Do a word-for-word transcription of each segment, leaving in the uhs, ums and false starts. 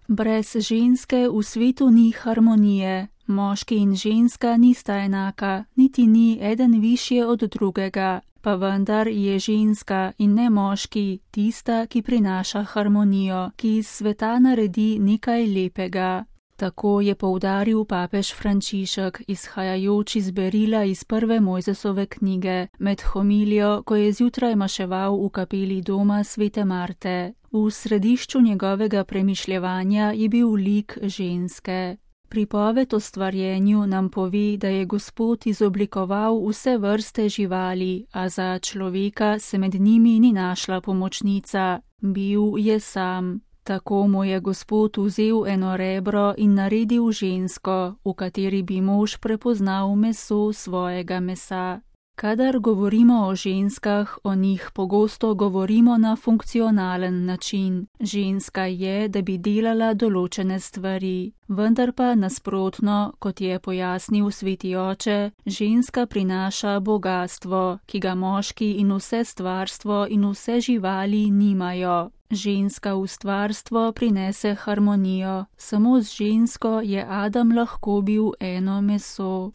Brez ženske v svetu ni harmonije. Moški in ženska nista enaka, niti ni eden višje od drugega, pa vendar je ženska in ne moški tista, ki prinaša harmonijo, ki iz sveta naredi nekaj lepega. Tako je poudaril papež Frančišek, izhajajoč iz berila iz prve Mojzesove knjige, med homilijo, ko je zjutraj maševal v kapeli doma svete Marte. V središču njegovega premišljevanja je bil lik ženske. Pripoved o stvarjenju nam pove, da je Gospod izoblikoval vse vrste živali, a za človeka se med njimi ni našla pomočnica. Bil je sam. Tako mu je Gospod vzel eno rebro in naredil žensko, v kateri bi mož prepoznal meso svojega mesa. Kadar govorimo o ženskah, o njih pogosto govorimo na funkcionalen način. Ženska je, da bi delala določene stvari. Vendar pa nasprotno, kot je pojasnil sveti oče, ženska prinaša bogastvo, ki ga moški in vse stvarstvo in vse živali nimajo. Ženska v stvarstvo prinese harmonijo. Samo z žensko je Adam lahko bil eno meso.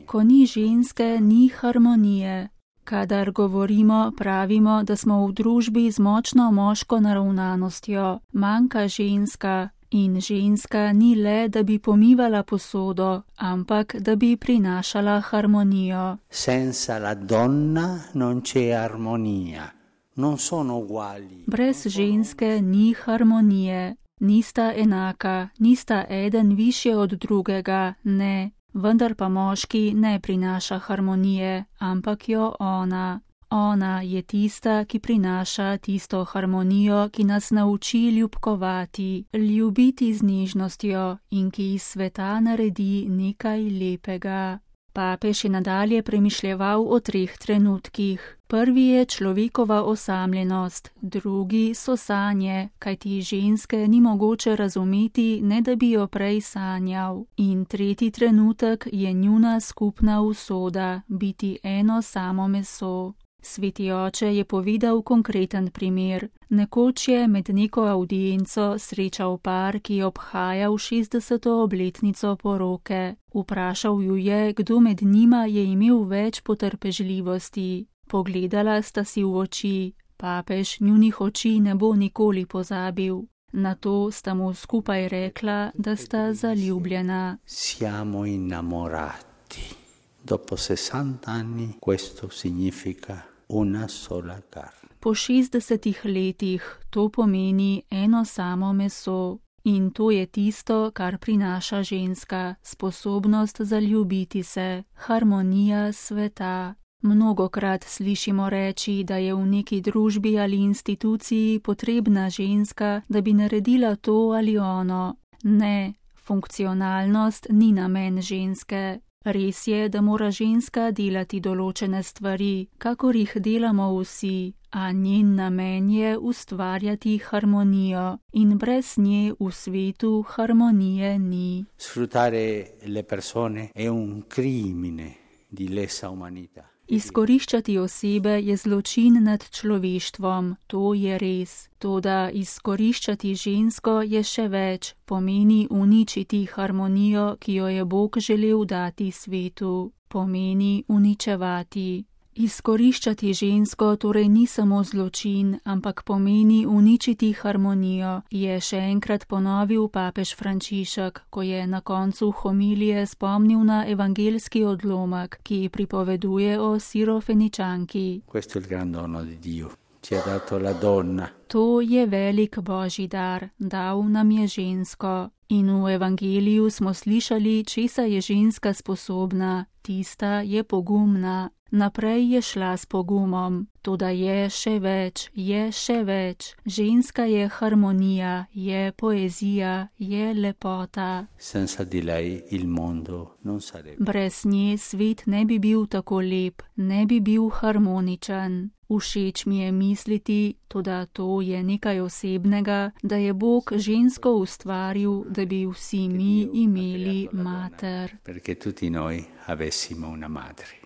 Ko ni ženske, ni harmonije. Kadar govorimo, pravimo, da smo v družbi z močno moško naravnanostjo. Manjka ženska. In ženska ni le, da bi pomivala posodo, ampak da bi prinašala harmonijo. Senza la donna non c'è armonia. Non sono uguali. Brez ženske ni harmonije. Nista enaka, nista eden višje od drugega, ne. Vendar pa moški ne prinaša harmonije, ampak jo ona. Ona je tista, ki prinaša tisto harmonijo, ki nas nauči ljubkovati, ljubiti z nežnostjo in ki iz sveta naredi nekaj lepega. Papež je nadalje premišljeval o treh trenutkih. Prvi je človekova osamljenost, drugi so sanje, kajti ženske ni mogoče razumeti, ne da bi jo prej sanjal. In tretji trenutek je njuna skupna usoda, biti eno samo meso. Sveti oče je povedal konkreten primer. Nekoč je med neko avdienco srečal par, ki je obhajal šestdeseto obletnico poroke. Vprašal ju je, kdo med njima je imel več potrpežljivosti. Pogledala sta si v oči. Papež njunih oči ne bo nikoli pozabil. Nato sta mu skupaj rekla, da sta zaljubljena. Siamo innamorati. Dopo sessanta anni questo significa una sola carne. Po šestdesetih letih to pomeni eno samo meso. In to je tisto, kar prinaša ženska, sposobnost zaljubiti se, harmonija sveta. Mnogokrat slišimo reči, da je v neki družbi ali instituciji potrebna ženska, da bi naredila to ali ono. Ne, funkcionalnost ni namen ženske. Res je, da mora ženska delati določene stvari, kakor jih delamo vsi, a njen namen je ustvarjati harmonijo in brez nje v svetu harmonije ni. Sfruttare le persone è un crimine di lesa umanità. Izkoriščati osebe je zločin nad človeštvom, to je res. Toda izkoriščati žensko je še več, pomeni uničiti harmonijo, ki jo je Bog želel dati svetu. Pomeni uničevati. Izkoriščati žensko torej ni samo zločin, ampak pomeni uničiti harmonijo, je še enkrat ponovil papež Frančišek, ko je na koncu homilije spomnil na evangelski odlomek, ki pripoveduje o Sirofeničanki. Questo è il gran dono di Dio. Ci ha dato la donna. To je velik Božji dar, dal nam je žensko. In v evangeliju smo slišali, česa je ženska sposobna, tista je pogumna. Naprej je šla s pogumom, toda je še več, je še več. Ženska je harmonija, je poezija, je lepota. Senza di lei il mondo non sarebbe. Brez nje svet ne bi bil tako lep, ne bi bil harmoničen. Všeč mi je misliti, toda to je nekaj osebnega, da je Bog žensko ustvaril, da bi vsi mi imeli mater. Perché tutti noi avessimo una madre.